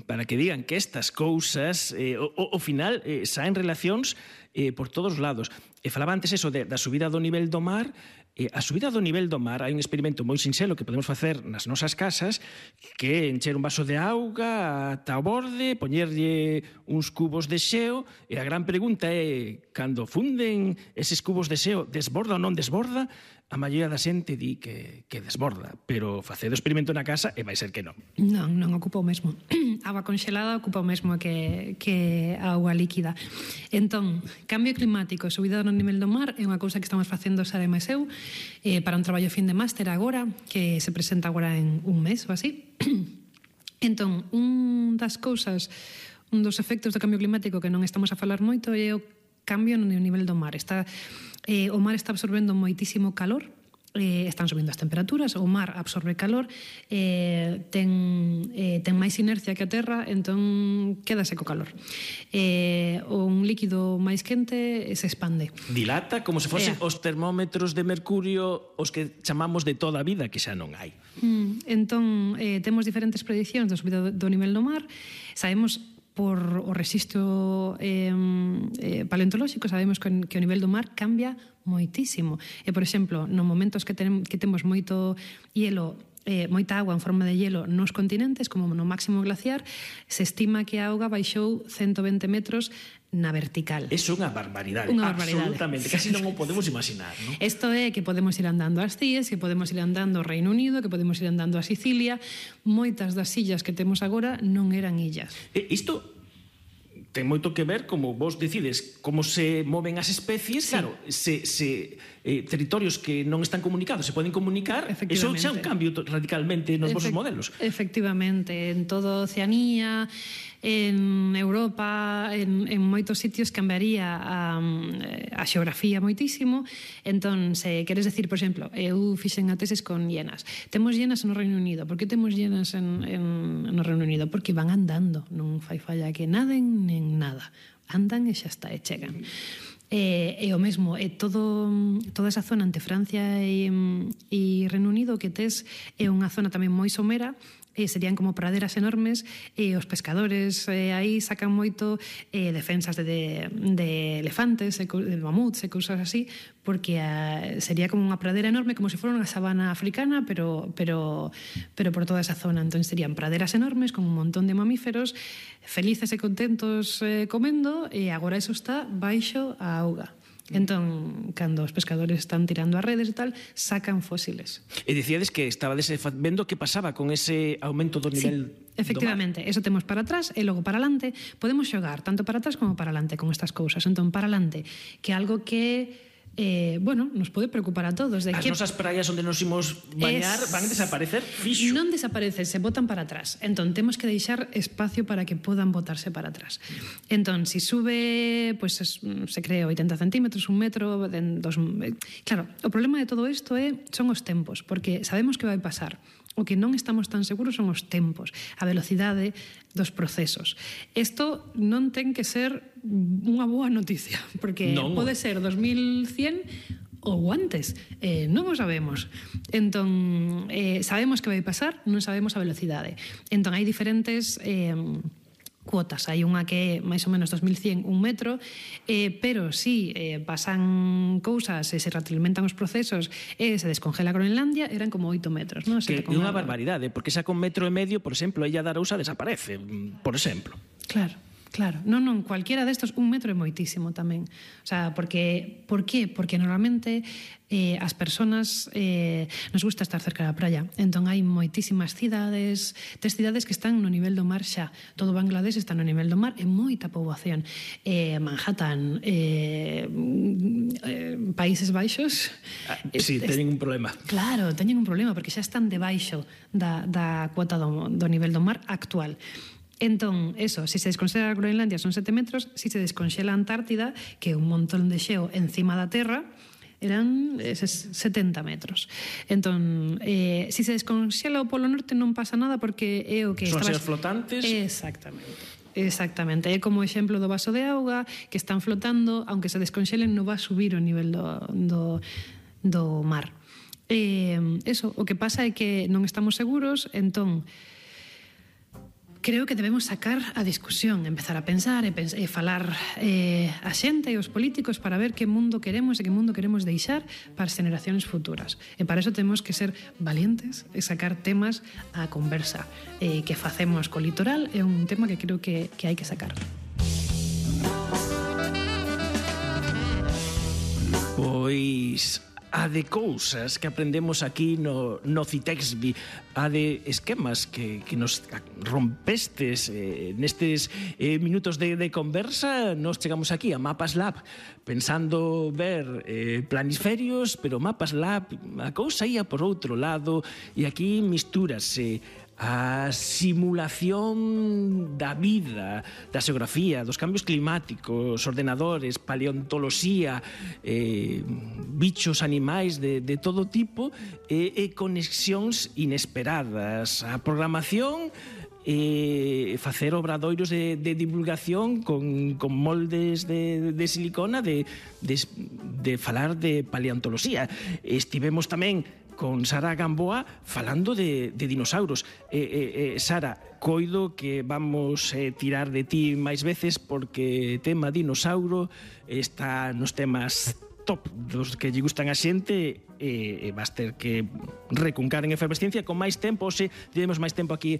Para que digan que estas cousas ao final saen relacións por todos os lados. Falaba antes eso da subida do nivel do mar. A subida do nivel do mar, hai un experimento moi sinxelo que podemos facer nas nosas casas, que encher un vaso de auga ata o borde, poñerlle uns cubos de xeo, e a gran pregunta é, cando funden eses cubos de xeo, desborda ou non desborda? A maioría da xente di que desborda, pero facer o experimento na casa e vai ser que non. Non ocupa o mesmo. Agua conxelada ocupa o mesmo que a auga líquida. Entón, cambio climático, subida do nivel do mar é unha cousa que estamos facendo Sara e máis eu para un traballo fin de máster agora, que se presenta agora en un mes ou así. Entón, un dos efectos do cambio climático que non estamos a falar moito é o cambio no nivel do mar. O mar está absorbendo moitísimo calor, están subindo as temperaturas, o mar absorbe calor, ten máis inercia que a terra, entón quédase co calor. Un líquido máis quente se expande. Dilata como se fosen os termómetros de mercurio, os que chamamos de toda a vida, que xa non hai. Entón, temos diferentes prediccións da subida do nivel do mar. Sabemos por o rexistro paleontolóxico, sabemos que o nivel do mar cambia moitísimo. Por exemplo, nos momentos que temos moito hielo, moita agua en forma de hielo nos continentes, como no máximo glaciar, se estima que a auga baixou 120 metros na vertical. É unha barbaridade. Absolutamente, casi non o podemos imaginar, non? Isto é que podemos ir andando ás Cíes, que podemos ir andando ao Reino Unido, que podemos ir andando a Sicilia. Moitas das illas que temos agora non eran illas. Isto ten moito que ver como vos decides como se moven as especies. Sí. Claro, se territorios que non están comunicados se poden comunicar, eso xa é un cambio radicalmente nos vosos modelos. Efectivamente, en toda Oceanía, en Europa, en moitos sitios cambiaría a xeografía moitísimo. Entón, se queres decir, por exemplo, eu fixen a tesis con hienas. Temos hienas no Reino Unido. Por que temos hienas no Reino Unido? Porque van andando, non fai falla que naden nen nada. Andan e xa está, e chegan. E o mesmo, toda esa zona entre Francia e Reino Unido que tes é unha zona tamén moi somera, serían como praderas enormes, e os pescadores aí sacan moito defensas de elefantes, de mamuts e cousas así, porque sería como unha pradera enorme, como se fora unha sabana africana, pero por toda esa zona. Entón serían praderas enormes con un montón de mamíferos felices e contentos comendo, e agora eso está baixo a auga. Entón, cando os pescadores están tirando as redes e tal, sacan fósiles. E dicíades que estabades vendo que pasaba con ese aumento do nivel do mar. Efectivamente, eso temos para atrás e logo para alante. Podemos xogar tanto para atrás como para alante con estas cousas. Entón, para alante, que algo que nos pode preocupar a todos. As nosas praias onde nos imos bañar van a desaparecer fixo. Non desaparecen, se botan para atrás. Entón, temos que deixar espacio para que podan botarse para atrás. Entón, se sube, se cree 80 centímetros, 1 metro, claro, o problema de todo isto son os tempos, porque sabemos que vai pasar. O que non estamos tan seguros son os tempos, a velocidade dos procesos. Isto non ten que ser unha boa noticia, porque pode ser 2100 ou antes, non o sabemos. Entón, sabemos que vai pasar, non sabemos a velocidade. Entón, hai diferentes cuotas. Hai unha que é máis ou menos 2100, 1 metro, pero si pasan cousas e se retroalimentan os procesos e se descongela Groenlandia, eran como 8 metros. Non? Que é unha barbaridade, porque xa con 1,5 metro, por exemplo, a Illa de Arousa desaparece, por exemplo. Claro, non, cualquiera destos, 1 metro é moitísimo tamén. O sea, por qué? Porque normalmente as persoas nos gusta estar cerca da praia. Entón hai moitísimas cidades, cidades que están no nivel do mar xa. Todo Bangladesh está no nivel do mar e moita poboación. Manhattan, Países Baixos... Sí, teñen un problema. Claro, teñen un problema, porque xa están debaixo da cuota do nivel do mar actual. Entón, eso, se desconxela Groenlandia son 7 metros, se desconxela a Antártida, que é un montón de xeo encima da Terra, eran 70 metros. Entón, se desconxela o Polo Norte non pasa nada, porque é o que... Son xeos flotantes. Exactamente, é como o exemplo do vaso de auga, que están flotando, aunque se desconxelen non va a subir o nivel do mar. Eso, o que pasa é que non estamos seguros, entón creo que debemos sacar a discusión, empezar a pensar e falar a xente e os políticos para ver que mundo queremos e que mundo queremos deixar para as generacións futuras. E para eso temos que ser valientes e sacar temas á conversa. Que facemos co litoral é un tema que creo que hai que sacar. Pois a de cousas que aprendemos aquí no Citexbi, a de esquemas que nos rompestes nestes minutos de conversa, nos chegamos aquí a Mapas Lab pensando ver planisferios, pero Mapas Lab a cousa ia por outro lado, e aquí mistúrase a simulación da vida, da xeografía, dos cambios climáticos, ordenadores, paleontoloxía, bichos, animais de todo tipo, e conexións inesperadas. A programación, facer obradoiros de divulgación con moldes de silicona, de falar de paleontoloxía. Estivemos tamén con Sara Gamboa falando de dinosauros. Sara, coido que vamos tirar de ti máis veces, porque tema dinossauro está nos temas top dos que lle gustan a xente, e vas ter que recuncar en efervesciencia con máis tempo. Temos máis tempo aquí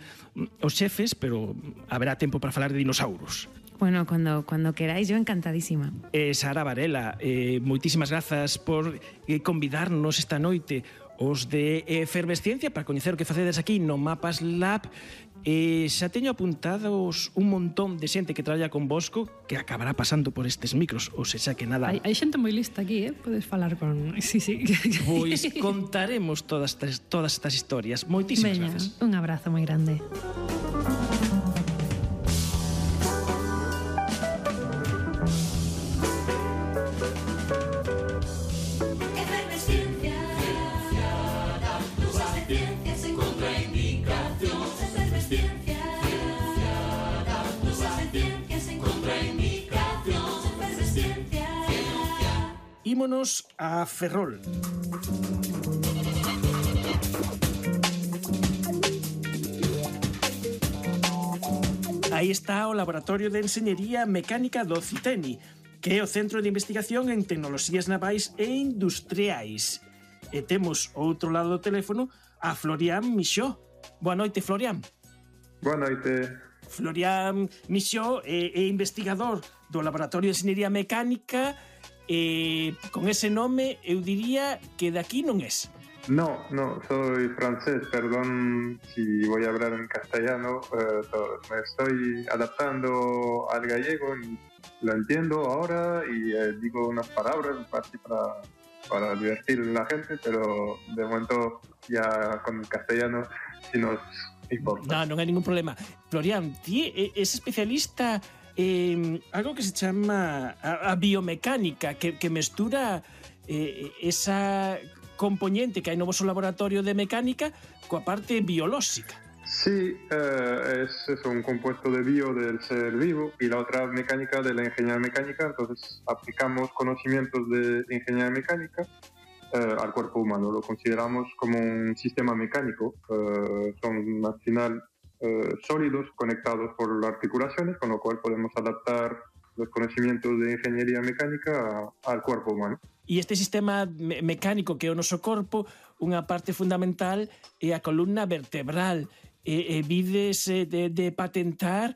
os xefes, pero haberá tempo para falar de dinosauros. Bueno, cuando queráis, yo encantadísima. Sara Varela, moitísimas grazas por convidarnos esta noite os de Efervesciencia para coñecer o que facedes aquí no Mapas Lab. Xa teño apuntados un montón de xente que traballa convosco que acabará pasando por estes micros, ou sexa que nada. Hai xente moi lista aquí, podes falar con... Sí. Pois contaremos todas estas historias. Moitísimas gracias. Un abrazo moi grande. Ímonos a Ferrol. Aí está o Laboratorio de Enxeñería Mecánica do CITENI, que é o Centro de Investigación en Tecnoloxías Navais e Industriais. E temos ao outro lado do teléfono a Florian Michaud. Boa noite, Florian. Boa noite. Florian Michaud é investigador do Laboratorio de Enxeñería Mecánica. Con ese nome eu diría que de aquí non es. No, soy francés, perdón si voy a hablar en castellano, me estoy adaptando al gallego, lo entiendo ahora y digo unas palabras así para divertir a la gente, pero de momento ya con el castellano sí nos importa. Non hai ningún problema. Florian, ti es especialista algo que se chama a biomecánica, que mestura esa componente que hai no vosso laboratorio de mecánica coa parte biolóxica. Sí, es un compuesto de bio del ser vivo y la otra mecánica de la ingeniería mecánica, entonces aplicamos conocimientos de ingeniería mecánica al cuerpo humano, lo consideramos como un sistema mecánico, son al final sólidos conectados por articulaciones, con lo cual podemos adaptar los conocimientos de ingeniería mecánica al cuerpo humano. E este sistema mecánico que é o noso corpo, unha parte fundamental é a columna vertebral. Vides de patentar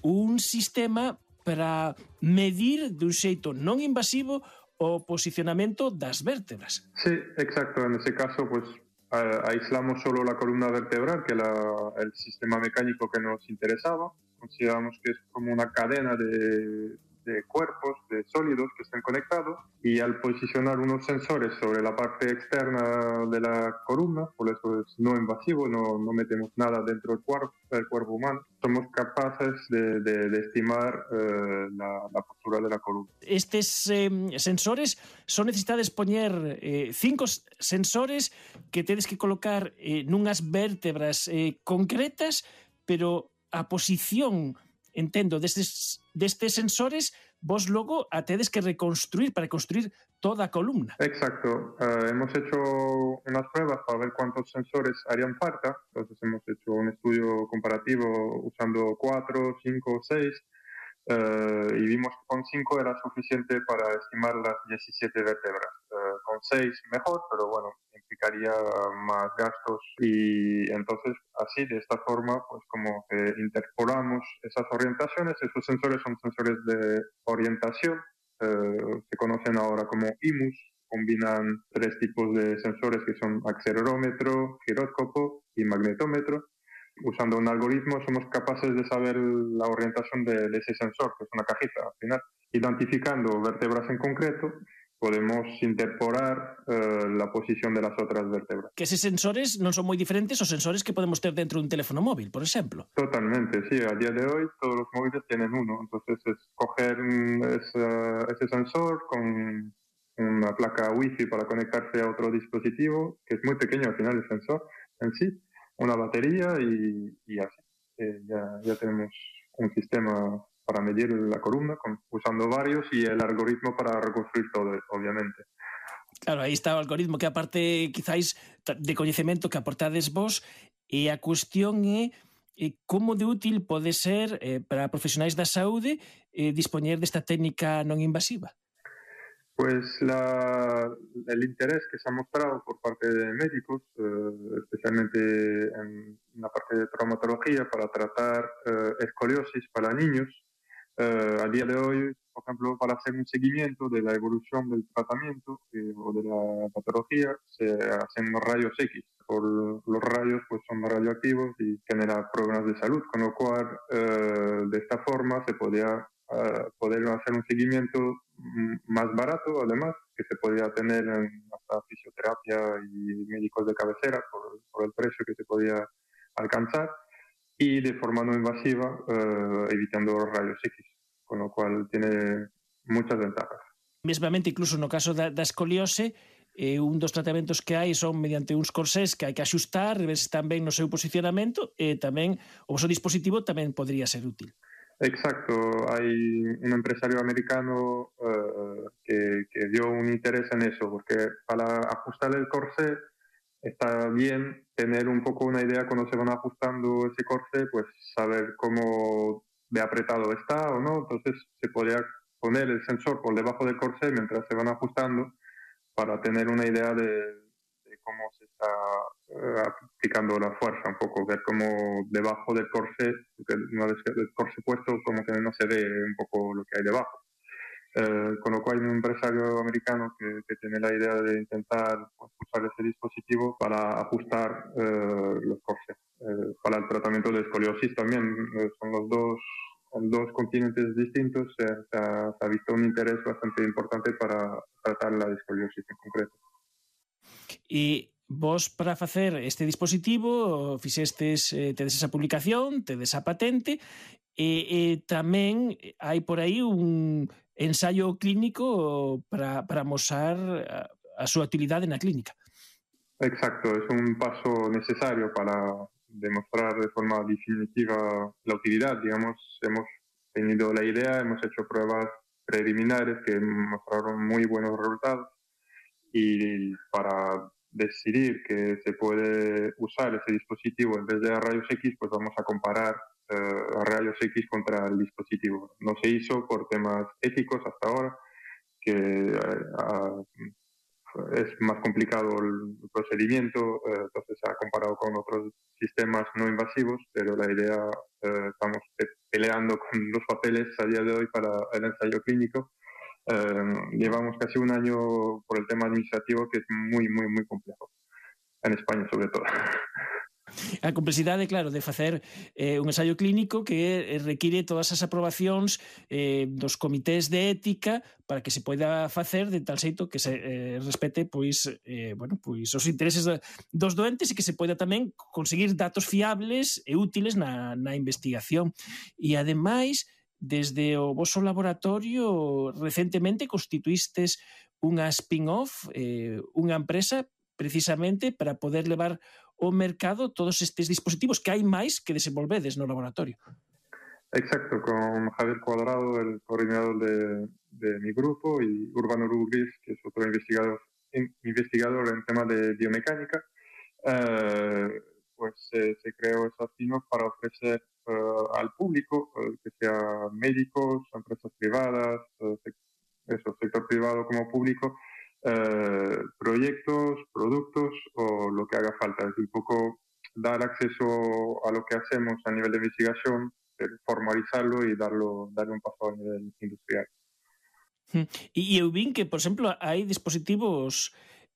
un sistema para medir dun xeito non invasivo o posicionamento das vértebras. Sí, exacto. En ese caso, pues aislamos solo la columna vertebral, que el sistema mecánico que nos interesaba. Consideramos que es como una cadena de cuerpos, de sólidos que están conectados, y al posicionar unos sensores sobre la parte externa de la columna, por eso es no invasivo, no metemos nada dentro del cuerpo humano, somos capaces de estimar la postura de la columna. Estes sensores son necesitades poñer 5 sensores que tedes que colocar nunhas vértebras concretas, pero a posición, entendo, destes sensores, vos logo a tedes que reconstruir para construir toda a columna. Exacto. Hemos hecho unas pruebas para ver cuántos sensores harían falta. Entonces hemos hecho un estudio comparativo usando 4, 5, 6 y vimos que con 5 era suficiente para estimar las 17 vértebras. Con 6 mejor, pero bueno, implicaría más gastos, y entonces así, de esta forma, pues como que interpolamos esas orientaciones. Esos sensores son sensores de orientación, se conocen ahora como IMUS, combinan 3 tipos de sensores que son acelerómetro, giróscopo y magnetómetro. Usando un algoritmo somos capaces de saber la orientación de ese sensor, que es una cajita al final. Identificando vértebras en concreto, podemos interpolar la posición de las otras vértebras. Que esos sensores non son moi diferentes aos sensores que podemos ter dentro dun teléfono móvil, por exemplo. Totalmente, sí. A día de hoy todos los móviles tienen uno. Entonces es coger ese sensor con una placa Wi-Fi para conectarse a otro dispositivo, que es muy pequeño al final el sensor en sí, una batería y así. Ya tenemos un sistema para medir la columna, usando varios, y el algoritmo para reconstruir todo, obviamente. Claro, aí está o algoritmo, que aparte quizáis de coñecemento que aportades vos, e a cuestión é como de útil pode ser para profesionais da saúde dispoñer desta técnica non invasiva. Pues el interés que se ha mostrado por parte de médicos, especialmente en la parte de traumatología, para tratar escoliosis para niños, a día de hoy, por ejemplo, para hacer un seguimiento de la evolución del tratamiento o de la patología, se hacen los rayos X. Por los rayos pues son radioactivos y generan problemas de salud, con lo cual de esta forma se podía poder hacer un seguimiento más barato, además, que se podía tener en hasta fisioterapia y médicos de cabecera por el precio que se podía alcanzar, y de forma no invasiva, evitando los rayos X, con lo cual tiene muchas ventajas. Mesmamente, incluso no caso da escoliose, un dos tratamentos que hai son mediante uns corsés que hai que axustar, ver se están ben no seu posicionamento, e tamén o vosso dispositivo tamén podría ser útil. Exacto, hay un empresario americano que dio un interés en eso, porque para ajustar el corsé está bien tener un poco una idea cuando se van ajustando ese corsé, pues saber cómo de apretado está o no. Entonces se podría poner el sensor por debajo del corsé mientras se van ajustando para tener una idea de cómo se está aplicando la fuerza, un poco, ver cómo debajo del corsé, porque una vez que el corsé puesto, como que no se ve un poco lo que hay debajo. Con lo cual hay un empresario americano que tiene la idea de intentar usar ese dispositivo para ajustar los corsés. Para el tratamiento de escoliosis también, son los dos continentes distintos, se ha visto un interés bastante importante para tratar la escoliosis en concreto. E vos, para facer este dispositivo, fixestes, tedes esa publicación, tedes a patente, e tamén hai por aí un ensayo clínico para amosar a súa utilidade na clínica. Exacto, es un paso necesario para demostrar de forma definitiva la utilidad. Digamos, hemos tenido la idea, hemos hecho pruebas preliminares que mostraron muy buenos resultados, y para decidir que se puede usar ese dispositivo en vez de rayos X, pues vamos a comparar rayos X contra el dispositivo. No se hizo por temas éticos hasta ahora, que es más complicado el procedimiento, entonces se ha comparado con otros sistemas no invasivos, pero la idea, estamos peleando con los papeles a día de hoy para el ensayo clínico. Llevamos casi un año por el tema administrativo, que es muy, muy, muy complejo, en España sobre todo. A complexidade, claro, de facer un ensayo clínico que require todas as aprobacións dos comités de ética para que se poida facer de tal xeito que se respete pois os intereses dos doentes, e que se poida tamén conseguir datos fiables e útiles na investigación. E ademais, desde o voso laboratorio recentemente constituístes unha spin-off, unha empresa precisamente para poder levar ao mercado todos estes dispositivos que hai máis que desenvolvedes no laboratorio. Exacto, con Javier Cuadrado, el coordinador de mi grupo, y Urbano Rubris, que es otro investigador en temas de biomecánica, pues se creó esa spin-off para ofrecer al público, que sea médicos, empresas privadas, sector privado como público, proyectos, productos o lo que haga falta. Es un poco dar acceso a lo que hacemos a nivel de investigación, formalizarlo y darle un paso a nivel industrial. E eu vin que, por exemplo, hai dispositivos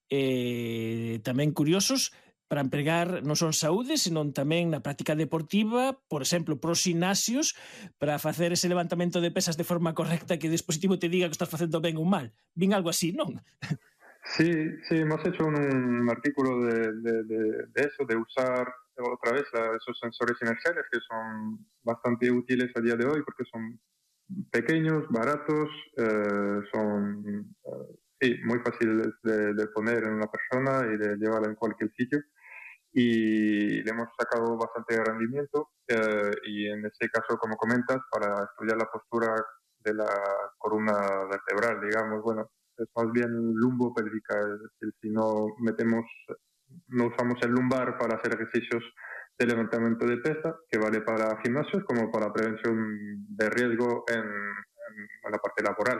tamén curiosos para empregar non son saúde, senón tamén na práctica deportiva, por exemplo, pros gimnasios, para facer ese levantamento de pesas de forma correcta, que o dispositivo te diga que estás facendo ben ou mal. Vin algo así, non? Sí, hemos hecho un artículo de eso, de usar otra vez esos sensores inerciales, que son bastante útiles a día de hoy porque son pequeños, baratos, son muy fáciles de poner en una persona y de llevarla en cualquier sitio. Y le hemos sacado bastante rendimiento, y en ese caso, como comentas, para estudiar la postura de la columna vertebral, digamos, bueno, es más bien lumbopélvica, es decir, si no usamos el lumbar para hacer ejercicios de levantamiento de pesa, que vale para gimnasios como para prevención de riesgo en la parte laboral.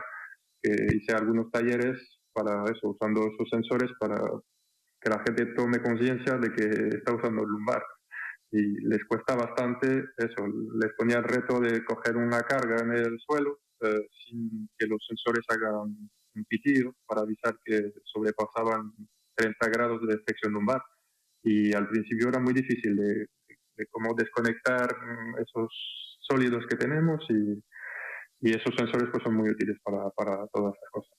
Hice algunos talleres para eso, usando esos sensores para que la gente tome conciencia de que está usando el lumbar y les cuesta bastante eso, les ponía el reto de coger una carga en el suelo sin que los sensores hagan un pitido para avisar que sobrepasaban 30 grados de flexión lumbar. Y al principio era muy difícil de cómo desconectar esos sólidos que tenemos y esos sensores pues son muy útiles para todas esas cosas.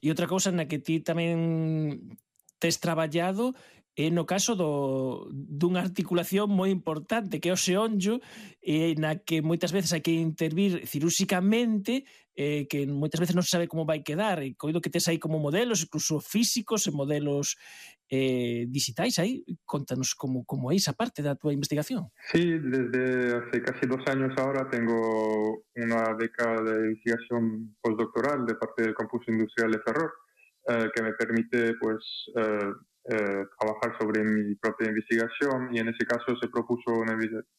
E outra cousa na que ti tamén tes traballado é no caso dunha articulación moi importante que é o xeonllo, na que moitas veces hai que intervir cirúrxicamente, que moitas veces non se sabe como vai quedar, e coido que tes aí como modelos, incluso físicos e modelos digitais aí. Contanos como é esa parte da tua investigación. Sí, desde hace casi 2 años ahora tengo una beca de investigación postdoctoral de parte del Campus Industrial de Ferrol, que me permite pues trabajar sobre mi propia investigación, y en ese caso se propuso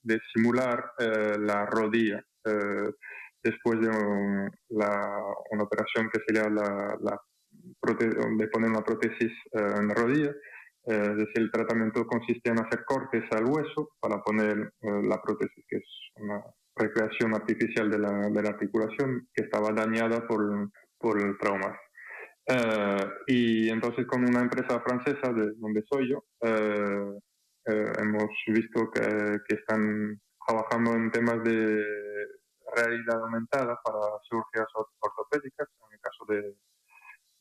de simular la rodilla después de una operación que sería de poner una prótesis en la rodilla. Es decir, el tratamiento consiste en hacer cortes al hueso para poner la prótesis, que es una recreación artificial de la articulación que estaba dañada por el trauma. Y entonces con una empresa francesa de donde soy yo hemos visto que están trabajando en temas de realidad aumentada para cirugías ortopédicas, en el caso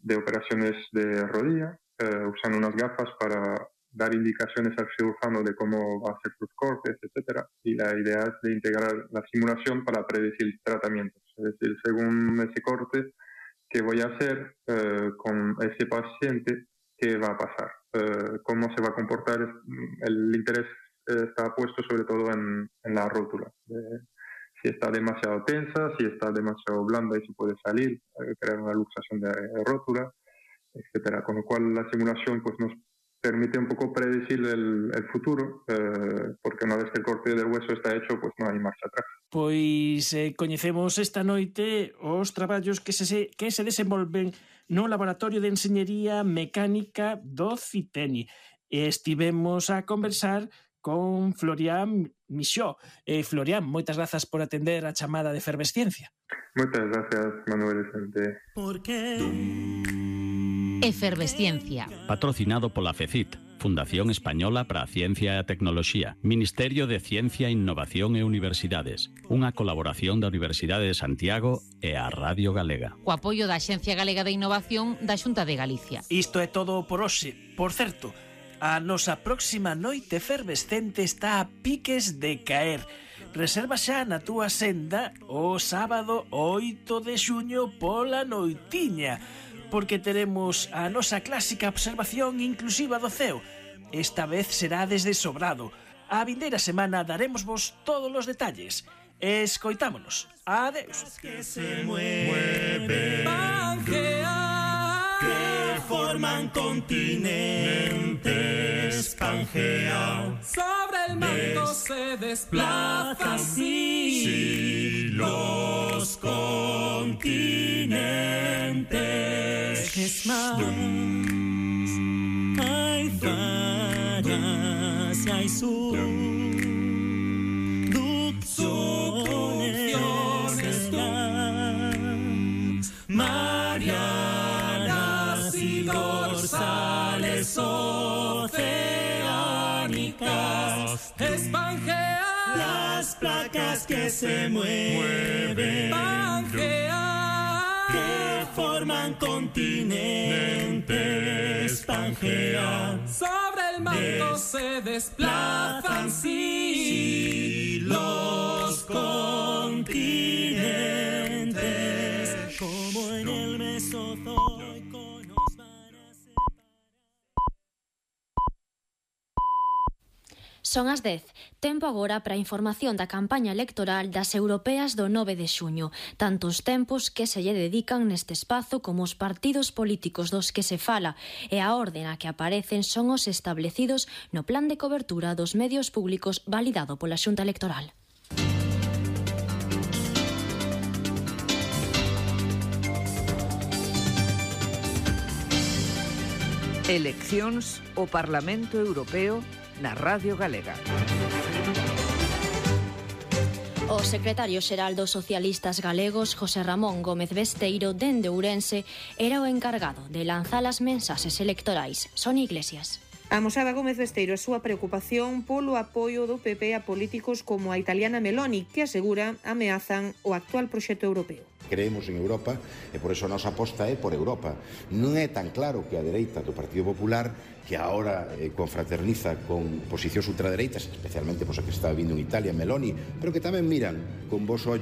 de operaciones de rodilla, usan unas gafas para dar indicaciones al cirujano de cómo va a hacer sus cortes, etcétera. Y la idea es de integrar la simulación para predecir tratamientos. Es decir, según ese corte que voy a hacer con ese paciente, qué va a pasar, cómo se va a comportar. El interés está puesto sobre todo en la rótula. Si está demasiado tensa, si está demasiado blanda y se puede salir, crear una luxación de rótula, etcétera. Con lo cual la simulación pues nos permite un pouco predecir el futuro, porque unha vez que el corte del hueso está hecho, pues non hai marcha atrás. Pois coñecemos esta noite os traballos que se desenvolven no Laboratorio de Enxeñería Mecánica do CITENI. Estivemos a conversar con Florian Michaud. Florian, moitas grazas por atender a chamada de Efervesciencia. Moitas gracias, Manuel Vicente. Efervesciencia. Patrocinado pola FECIT, Fundación Española para a Ciencia e a Tecnoloxía, Ministerio de Ciencia, Innovación e Universidades, unha colaboración da Universidade de Santiago e a Radio Galega. Co apoio da Axencia Galega de Innovación da Xunta de Galicia. Isto é todo por hoxe. Por certo, a nosa próxima noite efervescente está a piques de caer. Reserva xa na túa senda o sábado 8 de xuño pola noitiña, porque teremos a nosa clásica observación inclusiva do ceo. Esta vez será desde Sobrado. A vindeira semana daremosvos todos os detalles. Escoitámonos. Adeus. Que se mueven, Pangea, que forman continentes, Pangea. Sobre el manto se desplazan así los continentes. Es más, hay fallas y hay subducciones, marianas y dorsales oceánicas. Es Pangea, las placas que se mueven, Pangea, que forman continentes, Pangea. Sobre el manto se desplazan sí los continentes, como en el Mesozoico nos van a separar. Son as 10. Tempo agora para a información da campaña electoral das europeas do 9 de xuño, tanto os tempos que se lle dedican neste espazo como os partidos políticos dos que se fala, e a orde na que aparecen son os establecidos no plan de cobertura dos medios públicos validado pola Xunta Electoral. Eleccións ao Parlamento Europeo na Radio Galega. O secretario xeral dos socialistas galegos, José Ramón Gómez Besteiro, dende Ourense, era o encargado de lanzar as mensaxes electorais. Son Iglesias. Amosaba Gómez Besteiro a súa preocupación polo apoio do PP a políticos como a italiana Meloni, que asegura ameazan o actual proxecto europeo. Creemos en Europa e por eso a nosa aposta é por Europa. Non é tan claro que a dereita do Partido Popular, que agora confraterniza con posicións ultradereitas, especialmente pois a que está vindo en Italia, Meloni, pero que tamén miran con vos ollos